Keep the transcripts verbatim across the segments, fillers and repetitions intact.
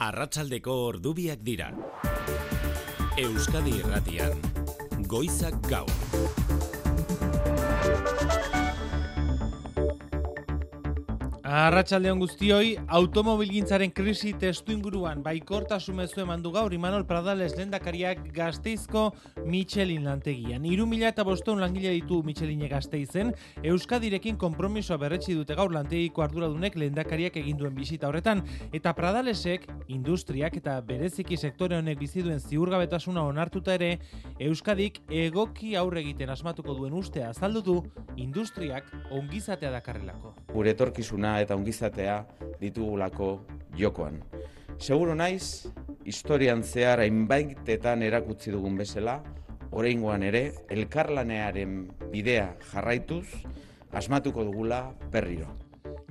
Arratsaldeko ordubiak dira. Euskadi Irratian, Goizak Gaur. Arratsaldeon guztioi, automobilgintzaren krisi testuinguruan baikortasun mezua eman du gaur Imanol Pradales lehendakariak Gasteizko Michelin lantegian. Hiru mila bostehun langile ditu Michelin Gasteizen, Euskadirekin konpromisoa berretsi dute gaur lantegiko arduradunek lehendakariak egin duen bisita horretan, eta Pradalesek industriak eta bereziki sektore honek bizi duen ziurgabetasuna onartuta ere, Euskadik egoki aurre egiten asmatuko duen ustea azaldu du industriak ongizatea dakarrelako. Gure etorkizuna eta ongizatea ditugulako jokoan. Seguro naiz, historian zehar hainbaitetan erakutsi dugun bezala, oraingoan ere, elkarlanearen bidea jarraituz, asmatuko dugula berriro.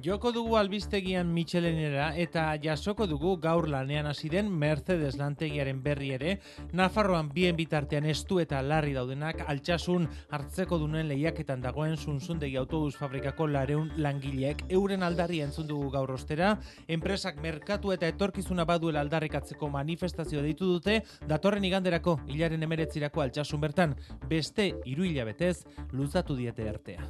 Joko dugu albistegian Michelinera eta jasoko dugu gaur lanean hasi den Mercedes lantegiaren berri ere, Nafarroan bien bitartean estu eta larri daudenak altsasun hartzeko dunen lehiaketan dagoen Zunzundegi autobus fabrikako lareun langileek euren aldarria entzun dugu gaur ostera, enpresak merkatu eta etorkizuna baduela aldarrikatzeko manifestazio deitu dute, datorren iganderako hilaren hemeretzirako altsasun bertan, beste hiru hilabetez luzatu diete artea.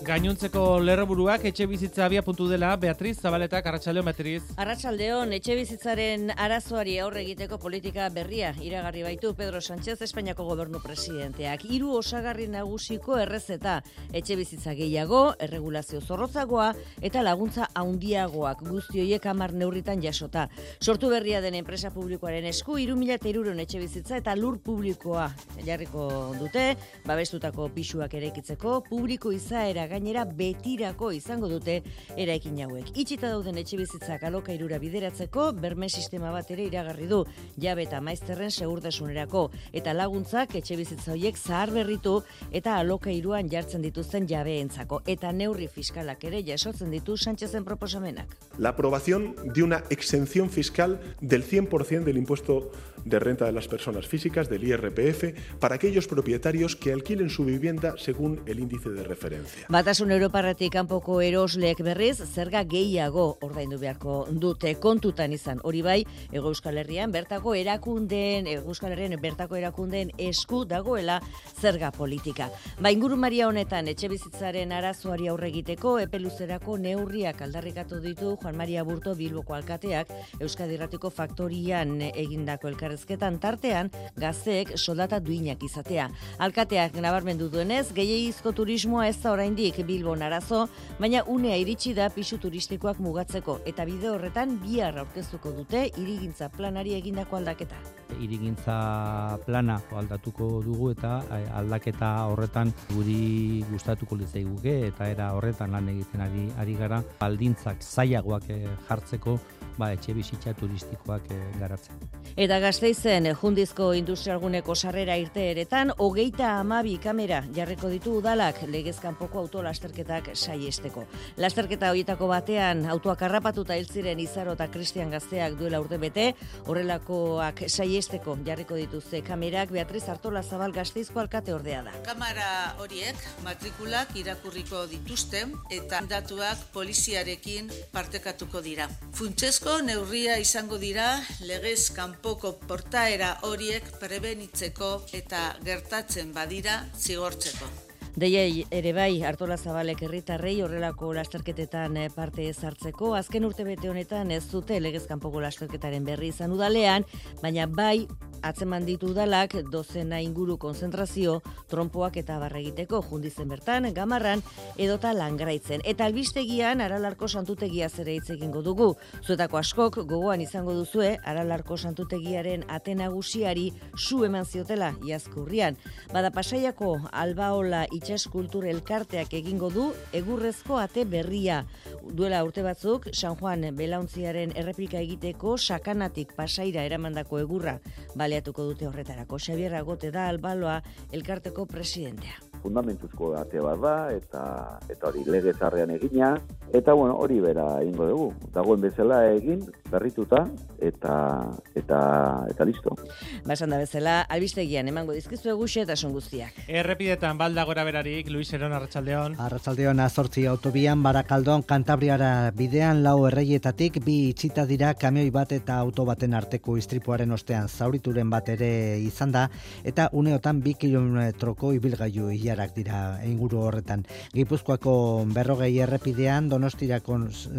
Gainontzeko lerroburuak etxe bizitza abia puntu dela, Beatriz Zabaletak, Arratsaldeon Beatriz. Arratsaldeon, etxe bizitzaren arazoari aurre egiteko politika berria iragarri baitu Pedro Sánchez Espainiako gobernu presidenteak. Hiru osagarri nagusiko errezeta, etxe bizitza gehiago, erregulazio zorrotzagoa eta laguntza handiagoak guzti horiek hamar neurritan jasota. Sortu berria den enpresa publikoaren esku hiru mila hirurehun etxe bizitza eta lur publikoa jarriko dute, babestutako pisuak eraikitzeko, publiko izaera gainera betirako izango dute eraikin hauek. Itxita dauden etxebizitzak alokairura bideratzeko berme sistema bat ere iragarri du, jabe eta maizterren segurtasunerako, eta laguntzak etxebizitza horiek zahar berritu eta alokairuan jartzen dituzten jabeentzako, eta neurri fiskalak ere jasotzen ditu Sánchezen proposamenak. La aprobación de una exención fiscal del cien por ciento del impuesto de renta de las personas físicas, del I R P F, para aquellos propietarios que alquilen su vivienda según el índice de referencia. Batasun Europarretik kanpoko erosleek berriz zerga gehiago ordaindu beharko dute kontutan izan. Hori bai, Hego Euskal Herrian bertako erakundeen, Hego Euskal Herrian bertako erakundeen esku dagoela zerga politika. Ba, ingurumaria honetan etxebizitzaren arazoari aurre egiteko epe luzerako neurriak aldarrikatu ditu Juan Maria Burto Bilboko alkateak Euskadi Irratiko faktorian egindako elkarrezketan tartean gazteek soldata duinak izatea. Alkateak nabarmendu duenez, gehiegizko turismoa ez da oraindik Bilbon arazo, baina unea iritsi da pisu turistikoak mugatzeko eta bide horretan bihar aurkeztuko dute hirigintza planari egindako aldaketa. Hirigintza plana aldatuko dugu eta aldaketa horretan guri gustatuko litzaiguke eta era horretan lan egiten ari ari gara baldintzak zailagoak jartzeko ba etxe bizitza turistikoak garatzen. Eta Gasteizen Jundizko industrialguneko sarrera irteeretan hogeita hamabi kamera jarriko ditu udalak legez kanpoko autolasterketak saiesteko. Lasterketa horietako batean autoak harrapatuta hil ziren Izaro eta Kristian gazteak duela urtebete, horrelakoak saiesteko jarriko dituzte kamerak. Beatriz Artolazabal Gasteizko alkate ordea da. Kamera horiek matrikulak irakurriko dituzte eta datuak poliziarekin partekatuko dira. Funtsezko neurria izango dira legez kanpoko portaera horiek prebenitzeko eta gertatzen badira zigortzeko. Deiei ere bai Artolazabalek herritarrei horrelako lasterketetan parte ez hartzeko. Azken urtebete honetan ez dute legez kanpoko lasterketaren berri izan udalean, baina bai atzeman ditu udalak dozena inguru konzentrazio, trompoak eta barra egiteko Jundizen bertan, Gamarran edota Langraitzen. Eta albistegian Aralarko santutegia zere hitz egingo dugu. Zuetako askok gogoan izango duzue Aralarko santutegiaren ate nagusiari su eman ziotela iazko urrian. Bada Pasaiako Albaola Itsas Kultur elkarteak egingo du egurrezko ate berria. Duela urte batzuk San Juan belauntziaren erreplika egiteko Sakanatik Pasaira eramandako egurra baleatuko dute horretarako. Xabier Agote da Albaloa elkarteko presidentea. fundamentuzko ate bat da, eta eta hori legezarrean egina, eta bueno, hori bera egingo dugu. Dagoen bezala egin, berrituta, eta eta eta listo. Basan da bezala, albistegian emango dizkizu eguxe eta son guztiak. Errepidetan balda gora berarik, Luis Eron, arratsaldeon. Arratsaldeon, azortzi autobian, Barakaldon, Kantabriara bidean lau erreietatik, bi itxita dira kamioi bat eta auto baten arteko istripuaren ostean zaurituren bat ere izan da, eta uneotan bi kilometroko ibilgailu ilarak dira inguru horretan. Gipuzkoako berrogei errepidean, Donostiako,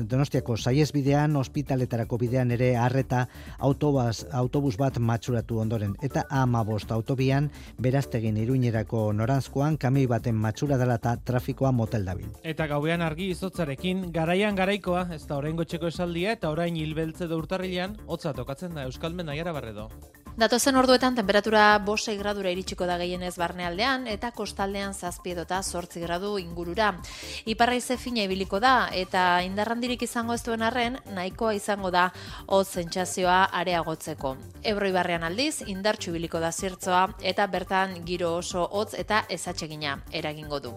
Donostiako saiesbidean, ospitaletarako bidean ere arreta autobus, autobus bat matxuratu ondoren. Eta hamabost autobian, Beraztegin Iruñerako noranzkoan, kamioi baten matxura dela eta trafikoa motel dabil. Eta gauean argi izotzarekin, garaian garaikoa, ez da oraingo txeko esaldia, eta orain hilbeltze da urtarrilean, hotza tokatzen da Euskalmen Naiara Barredo. Datozen orduetan temperatura bost gradura iritsiko da gehienez barnealdean eta kostaldean zazpi edota zortzi gradu ingurura. Iparraize fina ibiliko da eta indarrandirik izango ez duen arren nahikoa izango da hotz sentsazioa areagotzeko. Ebro ibarrean aldiz indartsu ibiliko da zertzoa eta bertan giro oso hotz eta ezatsegina eragingo du.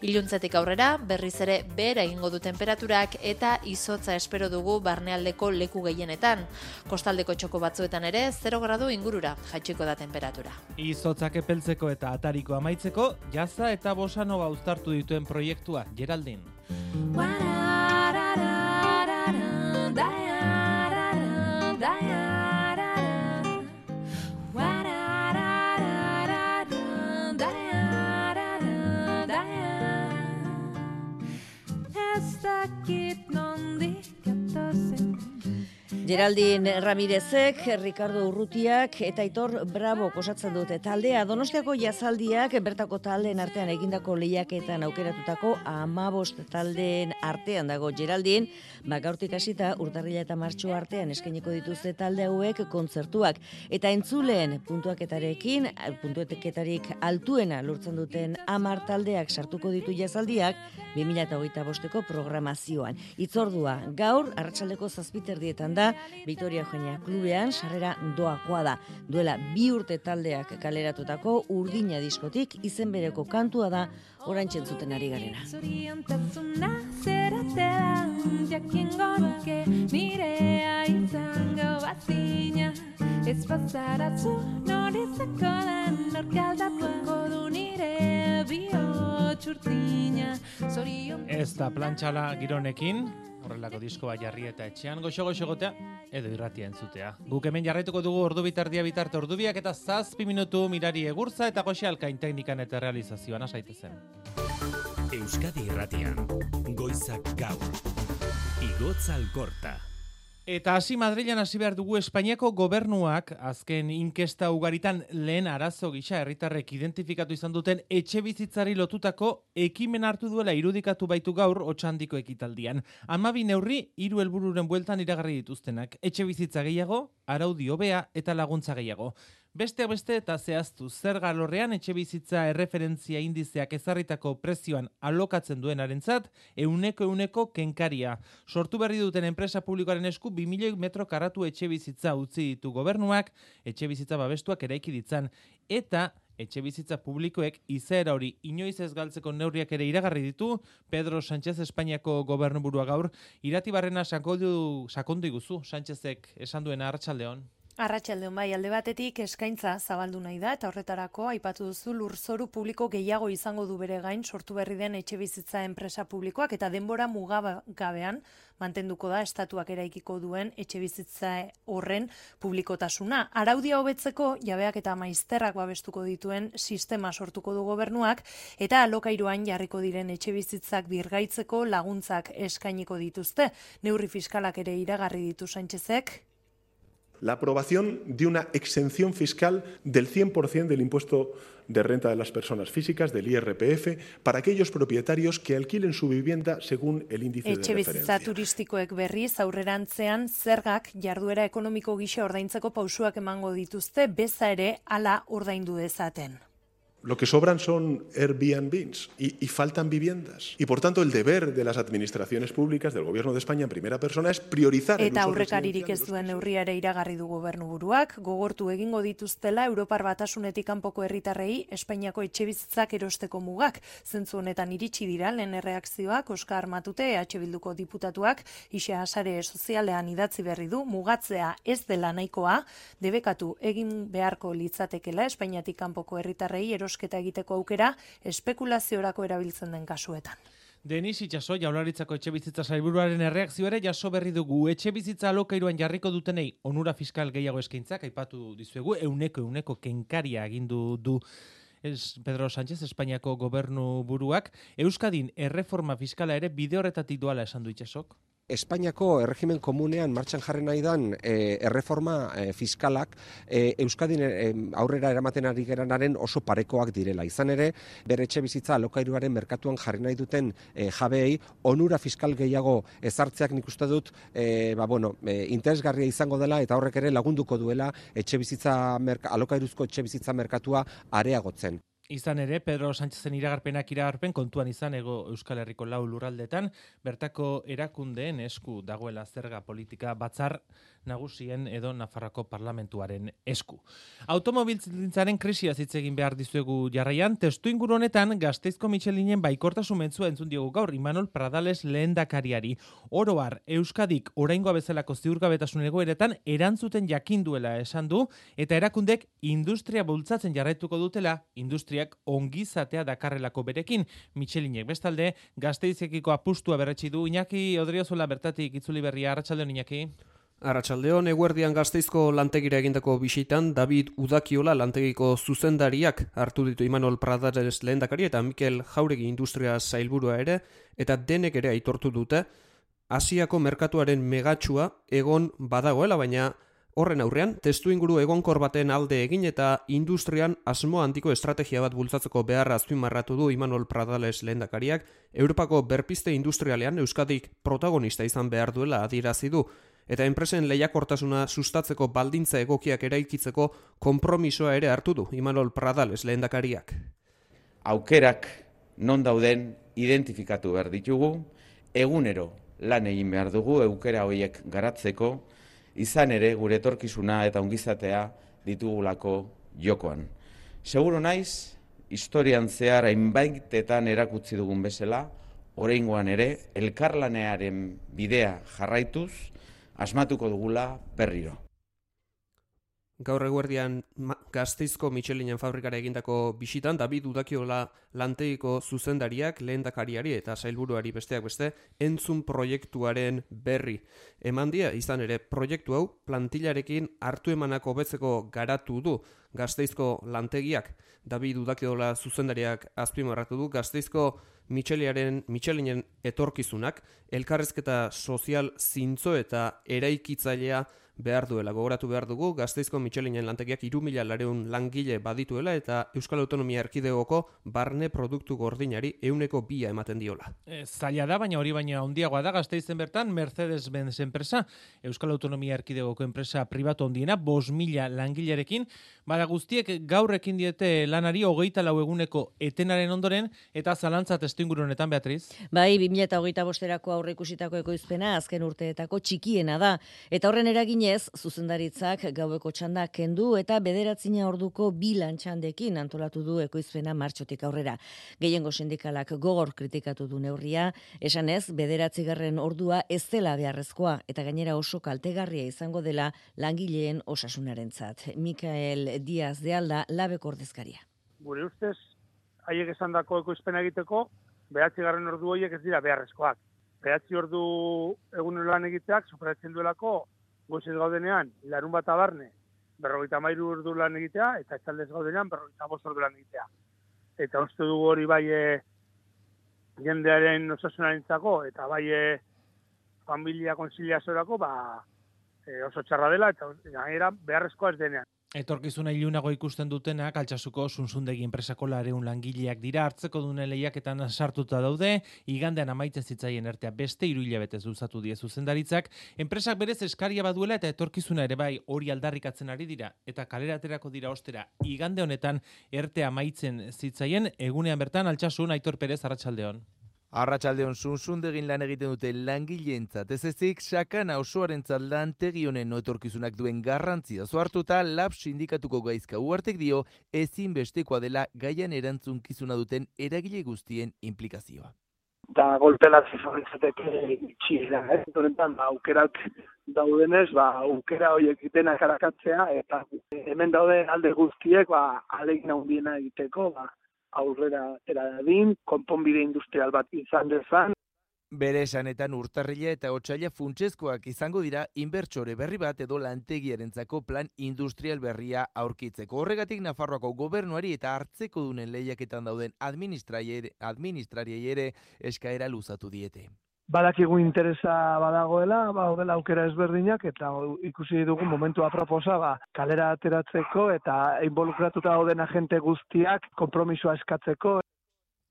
Iluntzetik aurrera berriz ere behera egingo du temperaturak eta izotza espero dugu barnealdeko leku gehienetan. Kostaldeko txoko batzuetan ere zero gradu ingurura jaitsiko da temperatura. Izotzak epeltzeko eta atariko amaitzeko, jaza eta bossa nova uztartu dituen proiektua, Geraldin. Geraldin Ramirezek, Ricardo Urrutiak eta Aitor Bravo osatzen dute taldea. Donostiako jazaldiak bertako taldeen artean egindako lehiaketan aukeratutako hamabost taldeen artean dago Geraldin. Ba, gaurtik hasita urtarrila eta martxo artean eskainiko dituzte talde hauek kontzertuak. Eta entzuleen puntuaketarekin, puntuaketarik altuena lortzen duten hamar taldeak sartuko ditu jazaldiak bi mila hogeita bosteko programazioan. Itzordua gaur arratsaldeko zazpiterdietan da, Victoria Eugenia klubean sarrera doakoa da. Duela bi urte taldeak kaleratutako Urdina diskotik izen bereko kantua da oraintxe entzuten ari garena. Zoriontasuna zeratela, jakingo nuke nirea izango bazina. Ez bazarazu norizako den norkaldatuko du nire bihotxurtina. Ez da plantxala gironekin, horrelako diskoa jarri eta etxean goxo-goxo gotea edo irratia entzutea. Guk hemen jarraituko dugu ordu bitardia bitarte ordubiak eta zazpi minutu Mirari Egurtza eta Goxe Alkain teknikan eta realizazioan asaitezen. Euskadi Irratian, Goizak Gaur, Igotz Alkorta. Eta hasi Madrilen hasi behar dugu. Espainiako gobernuak azken inkesta ugaritan lehen arazo gisa herritarrek identifikatu izan duten etxebizitzari lotutako ekimen hartu duela irudikatu baitu gaur Otxandiko ekitaldian. Hamabi neurri hiru helbururen bueltan iragarri dituztenak. Etxebizitza gehiago, araudi hobea eta laguntza gehiago. Besteak beste eta zehaztu zerga alorrean etxebizitza erreferentzia indizeak ezarritako prezioan alokatzen duenarentzat euneko euneko kenkaria. Sortu berri duten enpresa publikoaren esku bi milioi metro karatu etxebizitza utzi ditu gobernuak, etxebizitza babestuak eraiki ditzan, eta etxebizitza publikoek izaera hori inoiz ez galtzeko neurriak ere iragarri ditu Pedro Sánchez Espainiako gobernuburua gaur. Iratibarrena sakondu sakondu iguzu Sánchezek esan duena arratsaldeon. Arratsaldeon bai, alde batetik eskaintza zabaldu nahi da eta horretarako aipatu duzu lurzoru publiko gehiago izango du bere gain sortu berri den etxebizitza enpresa publikoak eta denbora mugagabean mantenduko da estatuak eraikiko duen etxebizitza horren publikotasuna. Araudia hobetzeko jabeak eta maizterrak babestuko dituen sistema sortuko du gobernuak eta alokairuan jarriko diren etxebizitzak birgaitzeko laguntzak eskainiko dituzte. Neurri fiskalak ere iragarri ditu Sánchezek. La aprobación de una exención fiscal del cien por ciento del impuesto de renta de las personas físicas, del I R P F, para aquellos propietarios que alquilen su vivienda según el índice de referencia. Etxebizitza turistikoek berriz aurrerantzean zergak jarduera ekonomiko gisa ordaintzeko pausuak emango dituzte, beza ere hala ordaindu dezaten. Lo que sobran son Airbnbs y, y faltan viviendas. Y por tanto el deber de las administraciones públicas del Gobierno de España en primera persona es priorizar el Eta uso aurrekaririk residencial ez de los duen pisos. neurria ere iragarri du gobernuburuak, gogortu egingo dituztela Europar Batasunetik kanpoko herritarrei Espainiako etxebizitzak erosteko mugak. Zentzu honetan iritsi dira lehen erreakzioak Oskar Matute E H Bilduko diputatuak Ixe sare sozialean idatzi berri du mugatzea ez dela nahikoa, debekatu egin beharko litzatekela Espainiatik kanpoko herritarrei erosketa egiteko aukera espekulaziorako erabiltzen den kasuetan. Denis Itxaso, Jaurlaritzako etxebizitza sailburuaren erreakzio ere jaso berri dugu. Etxebizitza alokairuan jarriko dutenei onura fiskal gehiago eskaintzak aipatu dizuegu, euneko euneko kenkaria agindu du es Pedro Sánchez, Espainiako gobernu buruak. Euskadin erreforma fiskala ere bide horretatik doala esan du Itxasok. Espainiako erregimen komunean martxan jarri nahi dan e, erreforma e, fiskalak e, Euskadin e, aurrera eramaten ari geranaren oso parekoak direla. Izan ere, bere etxe bizitza alokairuaren merkatuan jarri nahi duten e, jabeei onura fiskal gehiago ezartzeak nik uste dut e, ba, bueno, e, interesgarria izango dela eta horrek ere lagunduko duela etxe bizitza alokairuzko etxe bizitza merkatua areagotzen. Izan ere, Pedro Sánchezen iragarpenak iragarpen kontuan izan ego Euskal Herriko lau lurraldetan, bertako erakundeen esku dagoela zerga politika batzar nagusien edo Nafarroko parlamentuaren esku. Automobilgintzaren krisia hitz egin behar dizuegu jarraian, testu inguru honetan Gasteizko Michelinen baikortasun mentzua entzun diogu gaur Imanol Pradales lehendakariari. Oro har, Euskadik oraingoa bezalako ziurgabetasun egoeretan erantzuten jakinduela esan du, eta erakundek industria bultzatzen jarraituko dutela, industriak ongizatea dakarrelako berekin. Michelinek bestalde, Gasteizekiko apustua berretsi du. Iñaki Odriozola bertatik itzuli berria. Arratsaldeon, Iñaki. Arratsaldeon, eguerdian Gasteizko lantegira egindako bisitan David Udakiola lantegiko zuzendariak hartu ditu Imanol Pradales lehendakari eta Mikel Jauregi industria sailburua ere, eta denek ere aitortu dute Asiako merkatuaren megatxua egon badagoela, baina horren aurrean, testu inguru egonkor baten alde egin eta industrian asmo handiko estrategia bat bultzatzeko beharra azpimarratu du Imanol Pradales lehendakariak, Europako berpizte industrialean Euskadik protagonista izan behar duela adierazi du, eta enpresen lehiakortasuna sustatzeko baldintza egokiak eraikitzeko konpromisoa ere hartu du Imanol Pradales lehendakariak. Aukerak non dauden identifikatu behar ditugu, egunero lan egin behar dugu aukera horiek garatzeko, izan ere gure etorkizuna eta ongizatea ditugulako jokoan. Seguru naiz, historian zehar hainbaitetan erakutsi dugun bezala, oraingoan ere elkarlanearen bidea jarraituz, asmatuko dugula berriro. Gaur eguerdian Gasteizko Michelinen fabrikara egindako bisitan, David Udakiola lantegiko zuzendariak lehendakariari eta sailburuari besteak beste entzun proiektuaren berri eman die, izan ere proiektu hau plantillarekin hartu emanako hobetzeko garatu du Gasteizko lantegiak. David Udakiola zuzendariak azpimarratu du Gasteizko Michelinen, Michelinen etorkizunak elkarrezketa sozial zintzo eta eraikitzailea behar duela. Gogoratu behar dugu, Gasteizko Michelinen lantegiak hiru mila laurehun langile badituela eta Euskal Autonomia Erkidegoko barne produktu gordinari ehuneko bia ematen diola. E, zaila da, baina hori baina handiagoa da Gasteizen bertan Mercedes-Benz enpresa, Euskal Autonomia Erkidegoko enpresa pribatu handiena, bost mila langilerekin, bada guztiek gaur ekin diete lanari hogeita lau eguneko etenaren ondoren, eta zalantza testuinguru honetan, Beatriz? Bai, bi mila hogeita bosterako aurreikusitako ekoizpena azken urteetako txikiena da, eta horren eragin zuzendaritzak gaueko txanda kendu eta bederatzina orduko bi lantxandekin antolatu du ekoizpena martxotik aurrera. Gehiengo sindikalak gogor kritikatu du neurria, esanez bederatzigarren ordua ez dela beharrezkoa eta gainera oso kaltegarria izango dela langileen osasunarentzat. Mikael Diaz de Alda, Labeko ordezkaria. Gure ustez, haiek esandako ekoizpena egiteko, bederatzigarren ordu horiek ez dira beharrezkoak. Bederatzi ordu egun lan egiteak superatzen duelako goizez gaudenean, larun bat abarne, berrogeita hamairu ordu lan egitea, eta etxaldez gaudenean, berrogeita bost ordu lan egitea. Eta uste dugu hori bai e, jendearen osasunarentzako, eta bai e, familia konsiliazorako, ba, e, oso txarra dela, eta gainera beharrezkoa ez denean. Etorkizuna ilunago ikusten dutenak Altsasuko Suntsundegi enpresako lareun langileak dira, hartzeko dune lehiaketan sartuta daude, igandean amaitzen zitzaien ertea beste hiru hilabetez luzatu die zuzendaritzak, enpresak berez eskaria baduela eta etorkizuna ere bai hori aldarrikatzen ari dira, eta kalera aterako dira ostera, igande honetan ertea amaitzen zitzaien, egunean bertan Altsasun, Aitor Perez, arratsaldeon. Arratsaldeon Suntsundegin lan egiten dute langileentzat, ez ezik sakana osoarentzat lantegi honen etorkizunak duen garrantzia hartuta Lab sindikatuko gaizka uhartek dio ezinbestekoa dela gaian erantzunkizuna duten eragile guztien implikazioa. Da golpelatzi zauritzateke itxiera, ez? Honetan, ba, aukerak daudenez, ba, aukera horiek denak arakatzea, eta hemen dauden alde guztiek, ba, alegin handiena egiteko, ba, aurrera eradin, konponbide industrial bat izan dezan. Bere esanetan urtarrila eta otsaila funtsezkoak izango dira inbertsore berri bat edo lantegiarentzako plan industrial berria aurkitzeko. Horregatik Nafarroako gobernuari eta hartzeko dunen lehiaketan dauden administrariei ere eskaera luzatu diete. Badakigu interesa badagoela, baudela aukera ezberdinak, eta ikusi dugu momentua proposa, ba, kalera ateratzeko eta involukratuta dauden agente guztiak konpromisoa eskatzeko.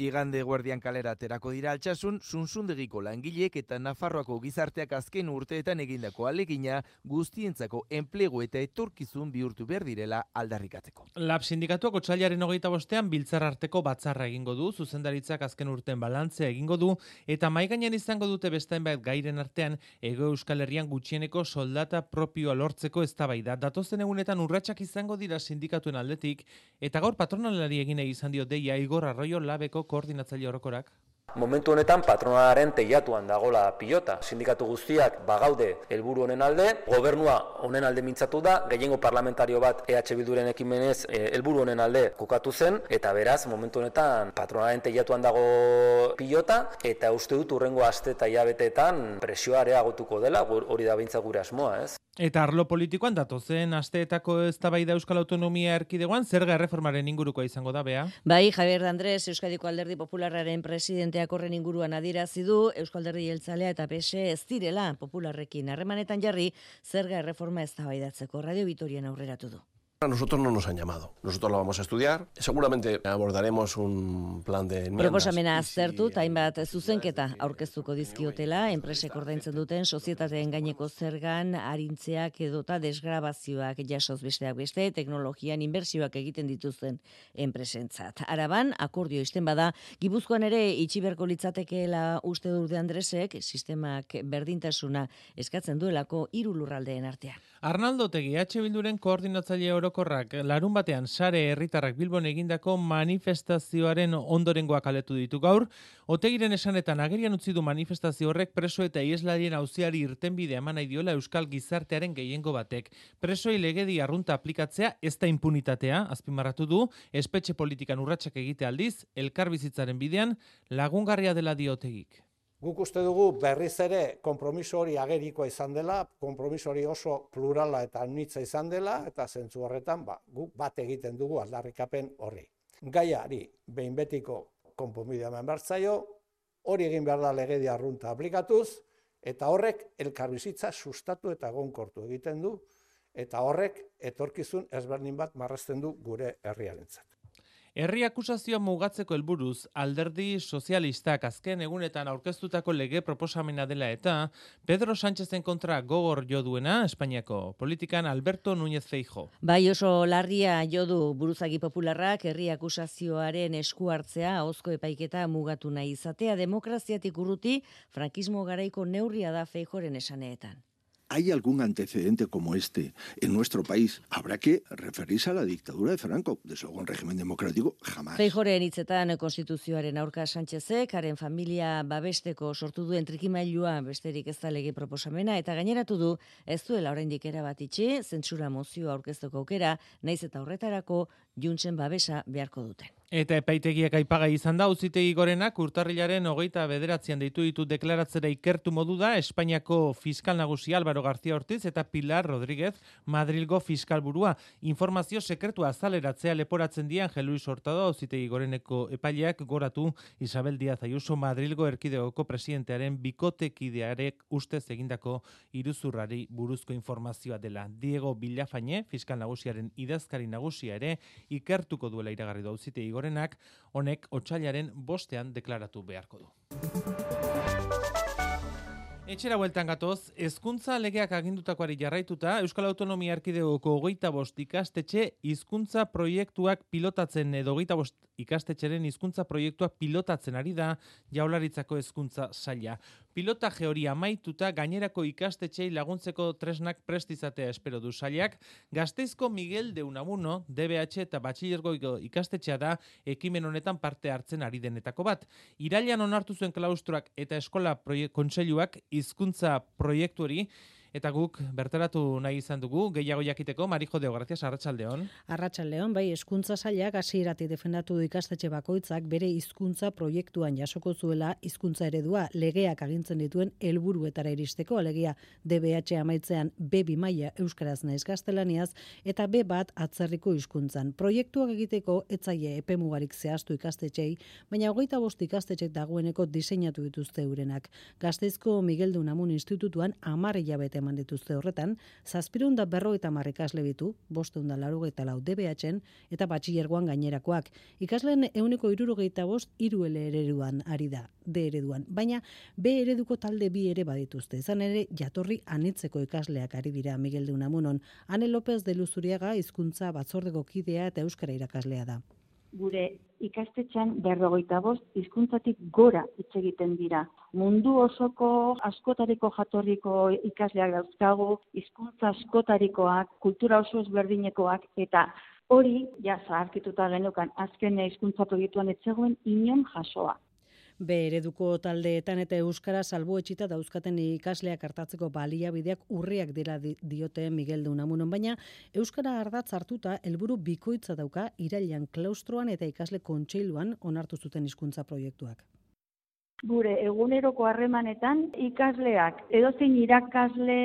Igande guardian kalera aterako dira Altsasun, Suntsundegiko langileek eta Nafarroako gizarteak azken urteetan egindako alegina guztientzako enplegu eta etorkizun bihurtu behar direla aldarrikatzeko. Lab sindikatuak otsailaren hogeita bostean biltzar arteko batzarra egingo du, zuzendaritzak azken urten balantzea egingo du, eta maigainan izango dute beste hainbat gairen artean Hego Euskal Herrian gutxieneko soldata propioa lortzeko eztabaida. Datozen egunetan urratsak izango dira sindikatuen aldetik, eta gaur patronalari egin izan dio deia Igor Arroyo Labeko koordinatzaile orokorak. Momentu honetan patronalaren teilatuan dagola pilota. Sindikatu guztiak bagaude helburu honen alde, gobernua honen alde mintzatu da, gehiengo parlamentario bat E H Bilduren ekimenez helburu honen alde kokatu zen, eta beraz momentu honetan patronalaren teilatuan dago pilota, eta uste dut urrengo aste eta hilabeteetan presioa areagotuko dela, hori da behintzat gure asmoa, ez? Eta arlo politikoan datozen asteetako eztabaida Euskal Autonomia Erkidegoan zerga erreformaren ingurukoa izango da, Bea? Bai, Javier Andrés, Euskadiko Alderdi Popularraren presidenteak horren inguruan adierazi du, Euskal Alderdi Jeltzalea eta P S E ez direla popularrekin harremanetan jarri zerga erreforma eztabaidatzeko. Radio Vitorian aurreratu du. A nosotros no nos han llamado. Nosotros lo vamos a estudiar. Seguramente abordaremos un plan de enmiendas. Proposamena aztertu, hainbat zuzenketa aurkeztuko dizkiotela, enpresek ordaintzen duten sozietateen gaineko zergan arintzeak edota desgrabazioak jasoz besteak beste, teknologian inbertsioak egiten dituzten enpresentzat. Araban, akordio izten bada, Gipuzkoan ere itxi beharko litzatekeela uste durde Andresek, sistemak berdintasuna eskatzen duelako hiru lurraldeen artean. Arnaldo Otegi, H Bilduren koordinatzaile orokorrak larun batean sare herritarrak Bilbon egindako manifestazioaren ondorengoak aletu ditu gaur. Otegiren esanetan agerian utzi du manifestazio horrek preso eta iheslarien auziari irtenbidea eman nahi diola euskal gizartearen gehiengo batek. Presoi legedi arrunta aplikatzea ez da impunitatea, azpimarratu du, espetxe politikan urratsak egite aldiz, elkarbizitzaren bidean lagungarria dela dio Otegik. Guk uste dugu berriz ere konpromiso hori agerikoa izan dela, konpromiso hori oso plurala eta anitza izan dela, eta zentzu horretan ba, guk bat egiten dugu aldarrikapen horri. Gaiari behin betiko konponbidea eman behar zaio, hori egin behar da legedia arrunta aplikatuz, eta horrek elkarbizitza sustatu eta egonkortu egiten du, eta horrek etorkizun ezberdin bat marrazten du gure herriarentzat. Herri akusazioa mugatzeko helburuz, Alderdi Sozialistak azken egunetan aurkeztutako lege proposamena dela eta Pedro Sánchezen kontra gogor jo duena Espainiako politikan Alberto Núñez Feijóo. Bai, oso larria jo du buruzagi popularrak herri akusazioaren esku hartzea ahozko epaiketa mugatu nahi izatea demokraziatik urruti frankismo garaiko neurria da Feijóoren esaneetan. ¿Hay algún antecedente como este en nuestro país? Habrá que referirse a la dictadura de Franco. Desde luego, un régimen democrático, jamás. Feijóoren hitzetan konstituzioaren aurka Sánchezek, haren familia babesteko sortu duen trikimailua besterik ez da lege proposamena, eta gaineratu du ez duela oraindik erabat itxi, zentsura mozioa aurkezteko aukera, naiz eta horretarako Juntsen babesa beharko duten. Eta epaitegiak aipagai izan da, auzitegi gorenak urtarrilaren hogeita bederatzean deitu ditu deklaratzera ikertu modu da Espainiako fiskal nagusia Álvaro García Ortiz eta Pilar Rodríguez Madrilgo fiskalburua. Informazio sekretua azaleratzea leporatzen di Angel Luis Hurtado auzitegi goreneko epaileak goratu Isabel Díaz Ayuso Madrilgo erkidegoko presidentearen bikotekidearek ustez egindako iruzurrari buruzko informazioa dela. Diego Villafañe, fiskal nagusiaren idazkari nagusia ere, ikertuko duela iragarri du auzitegi gorenak, honek otsailaren bostean deklaratu beharko du. Etxera bueltan gatoz, hezkuntza legeak agindutakoari jarraituta, Euskal Autonomia Erkidegoko hogeita bost ikastetxe hizkuntza proiektuak pilotatzen edo hogeita bost ikastetxeren hizkuntza proiektuak pilotatzen ari da Jaurlaritzako hezkuntza saila. Pilotaje hori amaituta gainerako ikastetxei laguntzeko tresnak prest izatea espero du sailak. Gasteizko Miguel de Unamuno, D B H eta batxilergoko ikastetxea da ekimen honetan parte hartzen ari denetako bat. Irailean onartu zuen klaustroak eta eskola proiek- kontseiluak hizkuntza proiektu hori eta guk bertaratu nahi izan dugu, gehiago jakiteko, Marijo Deo, gracias, Arratsaldeon. Arratsaldeon, bai, hezkuntza sailak hasieratik defendatu du ikastetxe bakoitzak bere hizkuntza proiektuan jasoko zuela hizkuntza eredua legeak agintzen dituen helburuetara iristeko, alegia D B H amaitzean B bi maila euskaraz naiz gaztelaniaz eta B bat atzerriko hizkuntzan. Proiektuak egiteko etzaile epemugarik zehaztu ikastetxei, baina hogeita bost ikastetxek dagoeneko diseinatu dituzte eurenak. Gasteizko Miguel de Unamuno Institutuan hamar hilabete eman dituzte horretan, zazpiehun eta berrogeita hamar ikasle ditu, bostehun eta laurogeita lau D B H-en eta batxilergoan gainerakoak. Ikasleen ehuneko hirurogeita bost hiru L ereduan ari da, D ereduan, baina B ereduko talde bi ere badituzte. Izan ere jatorri anitzeko ikasleak ari dira Miguel de Unamunon. Ane López de Luzuriaga hizkuntza batzordeko kidea eta euskara irakaslea da. Gure ikastetxean berrogeita bost hizkuntzatik gora hitz egiten dira. Mundu osoko askotariko jatorriko ikasleak dauzkagu, hizkuntza askotarikoak, kultura oso ezberdinekoak, eta hori, ja, zaharkituta geneukan, azken hizkuntza proiektuan ez zegoen inon jasoa. B ereduko taldeetan eta euskara salbuetxita dauzkaten ikasleak hartatzeko baliabideak urriak dira diote Miguel de Unamunon, baina euskara ardatz hartuta helburu bikoitza dauka irailean klaustroan eta ikasle kontseiluan onartu zuten hizkuntza proiektuak. Gure eguneroko harremanetan ikasleak edozein irakasle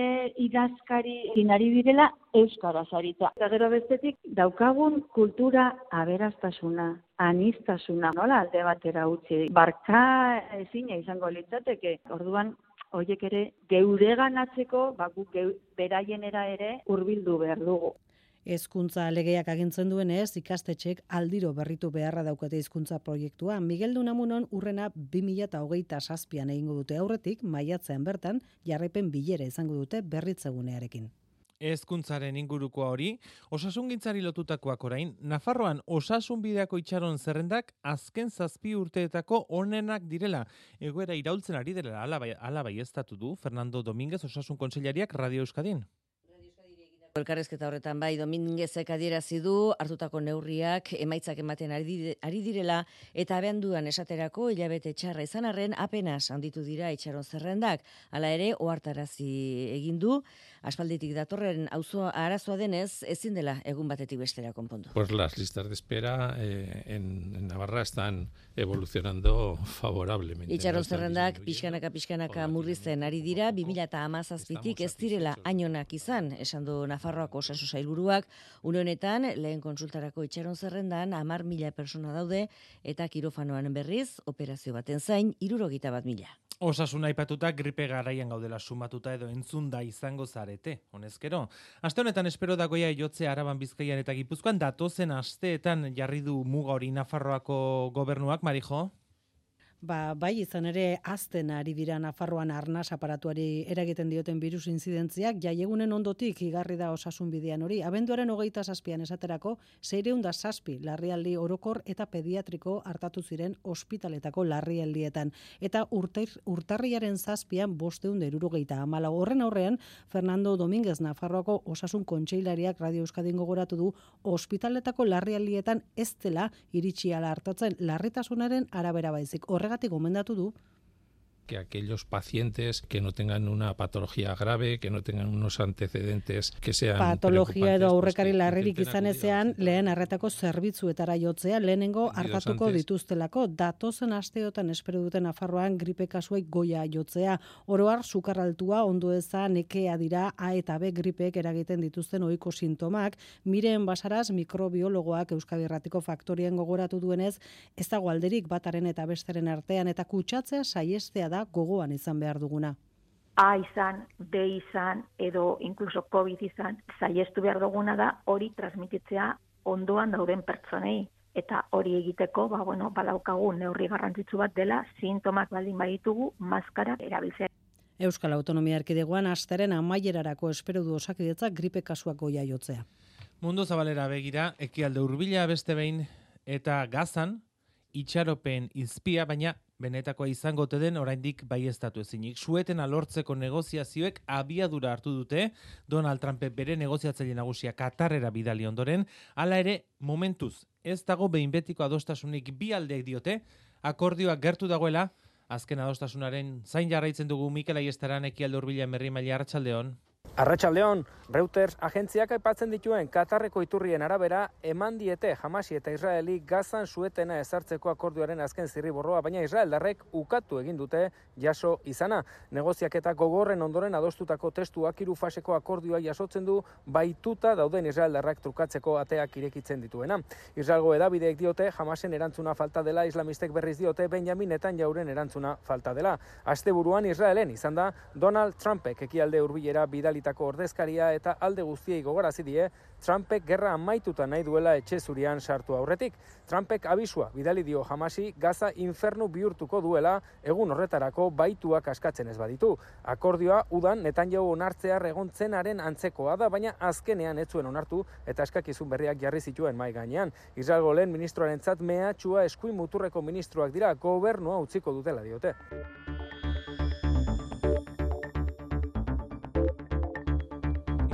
idazkari inari direla euskaraz aritza. Eta gero bestetik daukagun kultura aberastasuna, aniztasuna, nola alde batera utzi. Barka ezina izango litzateke. Orduan horiek ere geureganatzeko, ba guk geu, beraienera ere hurbildu behar dugu. Hezkuntza legeak agintzen duenez, ikastetxek aldiro berritu beharra daukate hizkuntza proiektua. Miguel de Unamunon urrena bi mila hogeita zazpian egingo dute aurretik, maiatzean bertan, jarraipen bilera izango dute berritzegunearekin. Hezkuntzaren ingurukoa hori, osasungintzari lotutakoak orain, Nafarroan osasun bideako itxaron zerrendak azken zazpi urteetako onenak direla. Egoera iraultzen ari dela ala baieztatu du Fernando Domínguez osasun kontseilariak Radio Euskadin. Elkarrezketa horretan bai Domínguezek adierazi du hartutako neurriak emaitzak ematen ari direla eta abenduan esaterako hilabete txarra izan arren apenas handitu dira itxaron zerrendak. Hala ere ohartarazi egin du aspalditik datorren auzo arazoa denez ezin dela egun batetik bestera konpondu. Pues las listas de espera eh, en, en Navarra están evolucionando favorablemente. Itxaron zerrendak pixkanaka pixkanaka murrizten ari dira bi mila hamazazpitik ez direla hainonak izan, esan du Nafarroako osasun sailburuak. Une honetan lehen kontsultarako itxaron zerrendan hamar mila persona daude eta kirofanoan berriz operazio baten zain hirurogeita bat mila. Osasuna aipatuta gripe garaian gaudela sumatuta edo entzunda izango zarete, honezkero. Aste honetan espero dagoia jotzea Araban, Bizkaian eta Gipuzkoan datozen asteetan jarri du muga hori Nafarroako gobernuak, Marijo? Ba, bai izan ere azten ari dira Nafarroan arnas aparatuari eragiten dioten virus inzidentziak, jaiegunen ondotik igarri da osasun bidean hori. Abenduaren hogeita zazpian esaterako, seiehun eta zazpi larrialdi orokor eta pediatriko hartatu ziren ospitaletako larrialdietan. Eta urter, urtarriaren zazpian bostehun eta hirurogeita hamalau. Horren aurrean, Fernando Domínguez Nafarroako osasun kontseilariak Radio Euskadin gogoratu du ospitaletako larrialdietan ez dela iritsi ala hartatzen larritasunaren arabera baizik. Horregatik gomendatu du que aquellos pacientes que no tengan una patología grave, que no tengan unos antecedentes que sean patologia edo aurrekari pues, larririk izan ezean, lehen arretako zerbitzuetara jotzea, lehenengo artatuko dituztelako, datozen asteotan espero duten Nafarroan gripe kasuek goia jotzea, oroar sukarraltua, ondo eza, nekea dira, A eta B gripek eragiten dituzten ohiko sintomak. Miren Basaras, mikrobiologoak Euskadi Irratiko Faktorien gogoratu duenez, ez dago alderik bataren eta besteren artean, eta kutsatzea saiestea da gogoan izan behar duguna. A izan, B izan, edo inkluso COVID izan, saiestu behar duguna da hori transmititzea ondoan dauden pertsonei. Eta hori egiteko, ba, bueno, badaukagu neurri garrantzitsu bat dela, sintomak baldin baditugu, maskara erabiltzea. Euskal Autonomia Erkidegoan asteren amaierarako espero du Osakidetzak gripe kasuak goia jotzea. Mundu zabalera begira, ekialde hurbila beste behin eta Gazan, itxaropen izpia, baina benetakoa izango ote den oraindik baieztatu ezinik. Suetena lortzeko negoziazioek abiadura hartu dute, Donald Trumpek bere negoziatzaile nagusia Katarrera bidali ondoren, hala ere momentuz ez dago behin betiko adostasunik bi aldeek diote, akordioak gertu dagoela, azken adostasunaren zain jarraitzen dugu Mikel Aiestaran ekialde hurbila Merri Maila, Arratsaldeon. Arratsaldeon, Reuters agentziak aipatzen dituen Katarreko iturrien arabera eman diete Hamasi eta Israeli Gazan suetena ezartzeko akordioaren azken zirriborroa, baina israeldarrek ukatu egin dute jaso izana. Negoziaketa gogorren ondoren adostutako testuak hiru faseko akordioa jasotzen du baituta dauden israeldarrak trukatzeko ateak irekitzen dituena. Israelgo hedabideek diote Hamasen erantzuna falta dela, islamistek berriz diote Benjamin Netanyahuren erantzuna falta dela. Asteburuan Israelen izan da Donald Trumpek ekialde hurbilera bidali ordezkaria eta alde guztiei gogarazi die Trumpek gerra amaituta nahi duela etxe zurian sartu aurretik. Trumpek abisua bidali dio Hamasi Gaza infernu bihurtuko duela egun horretarako baituak askatzen ez baditu. Akordioa udan Netanyahu onartzear egontzenaren antzekoa da, baina azkenean ez zuen onartu eta eskakizun berriak jarri zituen mai gainean. Israelgo lehen ministroarentzat mehatxua eskuin muturreko ministroak dira, gobernua utziko dutela diote.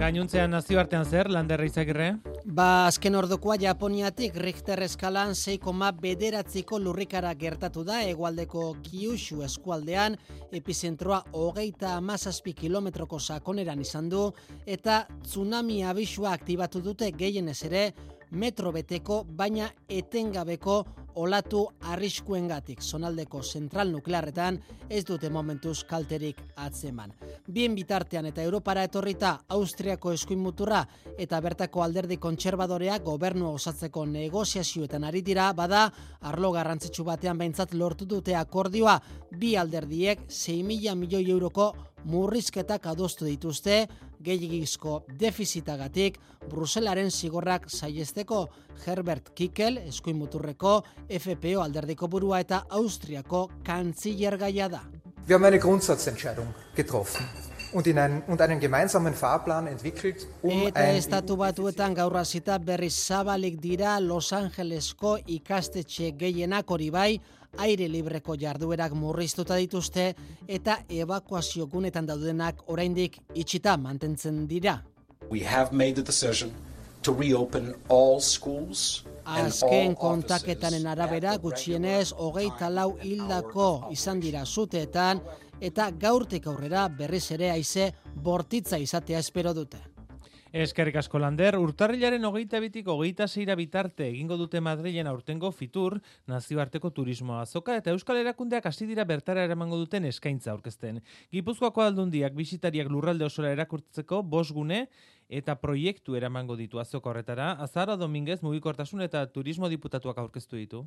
Gainuntzean nazioartean zer, Landerra Izagirre? Ba, azken ordokoa Japoniatik Richter eskalan sei koma bederatziko lurrikara gertatu da hegoaldeko Kyushu eskualdean, epizentroa hogeita hamazazpi kilometroko sakoneran izan du, eta tsunami abisua aktibatu dute gehienez ere metro beteko, baina etengabeko olatu arriskuengatik. Zonaldeko zentral nuklearretan ez dute momentuz kalterik atzeman. Bien bitartean eta Europara etorrita Austriako eskuin muturra eta bertako alderdi kontserbadorea gobernua osatzeko negoziazioetan ari dira, bada arlo garrantzitsu batean behintzat lortu dute akordioa, bi alderdiek sei mila milioi euroko murrizketak adostu dituzte, gehiagizko defizitagatik, Bruselaren zigorrak saihesteko. Herbert Kickel, eskuin muturreko F P O alderdiko burua eta Austriako kantzillergaia da. Wir haben eine Grundsatzentscheidung getroffen und, in ein, und einen gemeinsamen Fahrplan entwickelt, um eta ein estatu batuetan gaur hasita berriz zabalik dira Los Angelesko ikastetxe gehienak, hori bai, aire libreko jarduerak murriztuta dituzte eta ebakuazio gunetan daudenak oraindik itxita mantentzen dira. We have made the decision to reopen all schools and Azken all kontaketaren arabera gutxienez hogeita lau hildako izan dira suteetan eta gaurtik aurrera berriz ere haize bortitza izatea espero dute. Eskerrik asko Lander, urtarrilaren hogeita bitik hogeita seira bitarte egingo dute Madrilen aurtengo Fitur, nazioarteko turismo azoka, eta Euskal Erakundeak hasi dira bertara eramango duten eskaintza aurkezten. Gipuzkoako aldundiak bisitariak lurralde osora erakurtzeko bost gune eta proiektu eramango ditu azoka horretara. Azara Dominguez mugikortasun eta turismo diputatuak aurkeztu ditu.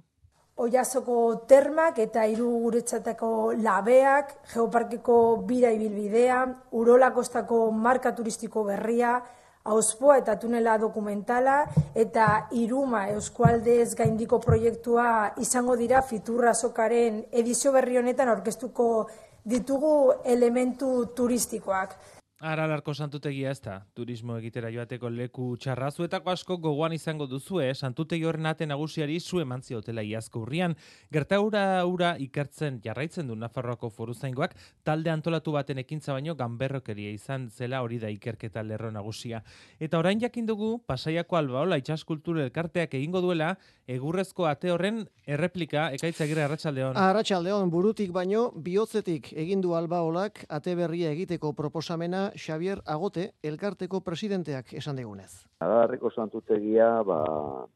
Oiazoko termak eta hiru guretzatako labeak, Geoparkeko bira ibilbidea, Urola kostako marka turistiko berria, Auspoa eta tunela dokumentala eta Iruma Euskualdez gaindiko proiektua izango dira Fitur azokaren edizio berri honetan aurkeztuko ditugu elementu turistikoak. Aralarko santutegia ez da, turismo egitera joateko leku txarrazuetako asko gogoan izango duzue, santutegi horren ate nagusiari zu emantzi hotela iazko urrian. Gertaura ura ikertzen jarraitzen du Nafarroako foruzaingoak, talde antolatu baten ekintza baino ganberrokeria izan zela, hori da ikerketa lerro nagusia. Eta orain jakin dugu, Pasaiako Albaola Itsaskultur elkarteak egingo duela, egurrezko ate horren erreplika, Ekaitz Agirre, arratsaldeon. Arratsaldeon, burutik baino bihotzetik egin du Albaolak ate berria egiteko proposamena Xavier Agote elkarteko presidenteak esan digunez. Arabarreko santutegia, ba,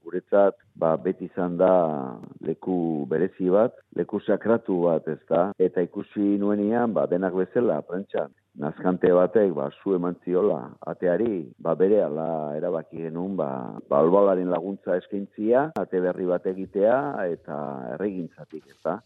guretzat, ba, beti izan da leku berezi bat, leku sakratu bat, ez da, eta ikusi nuenian, ba, denak bezala, prentxan, nazkante batek, ba, zu eman ziola, ateari, ba, bere ala erabaki genuen, ba, ba, albalaren laguntza eskaintzia, ate berri bat egitea, eta erregintzatik, ez da.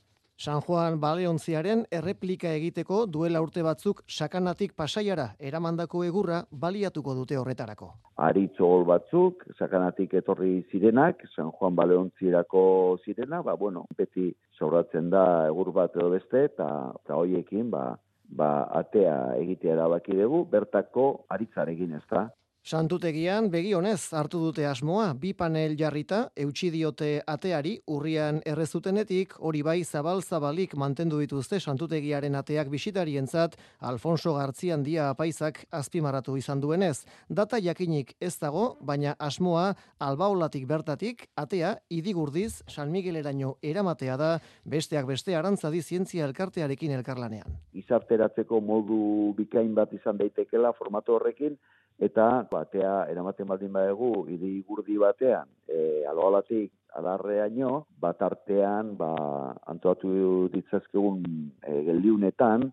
San Juan Baleontziaren erreplika egiteko duela urte batzuk sakanatik pasaiara eramandako egurra baliatuko dute horretarako. Aritzogol batzuk, sakanatik etorri zirenak, San Juan Baleontzirako zirena, ba, bueno, beti sobratzen da egur bat edo beste, eta, eta hoiekin, ba, ba, atea egitea erabaki dugu, bertako aritzarekin, ez da. Santutegian begionez hartu dute asmoa, bi panel jarrita, eutsi diote ateari, urrian errezutenetik, hori bai zabal-zabalik mantendu dituzte santutegiaren ateak bisitarientzat, Alfonso Gartziandia apaizak azpimarratu izan duenez. Data jakinik ez dago, baina asmoa Albaolatik bertatik, atea idigurdiz San Migueleraino eramatea da, besteak beste Arantzadi zientzia elkartearekin elkarlanean. Izarteratzeko modu bikain bat izan daitekela formatu horrekin, eta batea eramaten baldin badegu idigurdi batean, e, Albaolatik adarreaino, bat artean ba, antolatu ditzazkegun e, geldiunetan,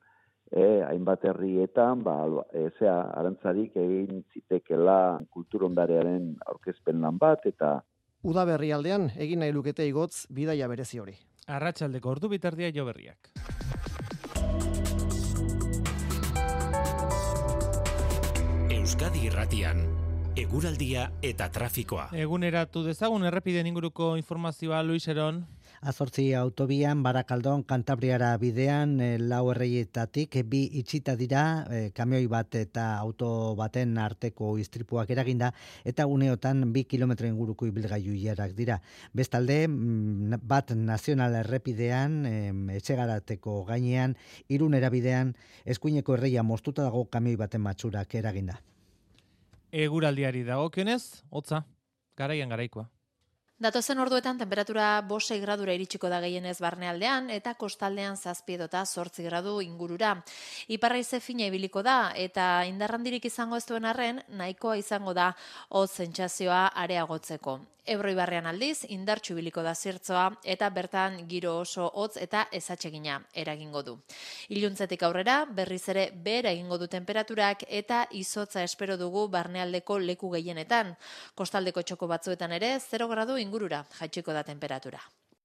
e, hainbat herrietan, ba, e, zea, Arantzadik egin zitekela kulturondarearen aurkezpen lan bat, eta Udaberri aldean egin nahi lukete igotz bidaia berezi hori. Arratsaldeko ordu bitardia jo berriak. Euskadi Irratian, eguraldia eta trafikoa. Eguneratu dezagun errepideen inguruko informazioa, Luis Eron. Azortzi autobian, Barakaldon, Kantabriara bidean, e, lau erreietatik, e, bi itxita dira, e, kamioi bat eta auto baten arteko istripuak eraginda, eta uneotan bi kilometro inguruko ibilgailu ilarak dira. Bestalde, bat nazional errepidean, e, etxegarateko gainean, Irunera bidean, eskuineko erreia moztuta dago kamioi baten matxurak eraginda. Eguraldiari dagokionez, hotza, garaian garaikoa. Datozen orduetan temperatura bost gradura iritsiko da gehienez barnealdean eta kostaldean zazpi edota zortzi gradu ingurura. Iparraize fina ibiliko da eta indarrandirik izango ez duen arren nahikoa izango da hotz sentsazioa areagotzeko. Ebro ibarrean aldiz indartsu ibiliko da zertzoa eta bertan giro oso hotz eta ezatsegina eragingo du. Iluntzetik aurrera berriz ere behera egingo du temperaturak eta izotza espero dugu barnealdeko leku gehienetan. Kostaldeko txoko batzuetan ere zero gradu ingurura jaitsiko da temperatura.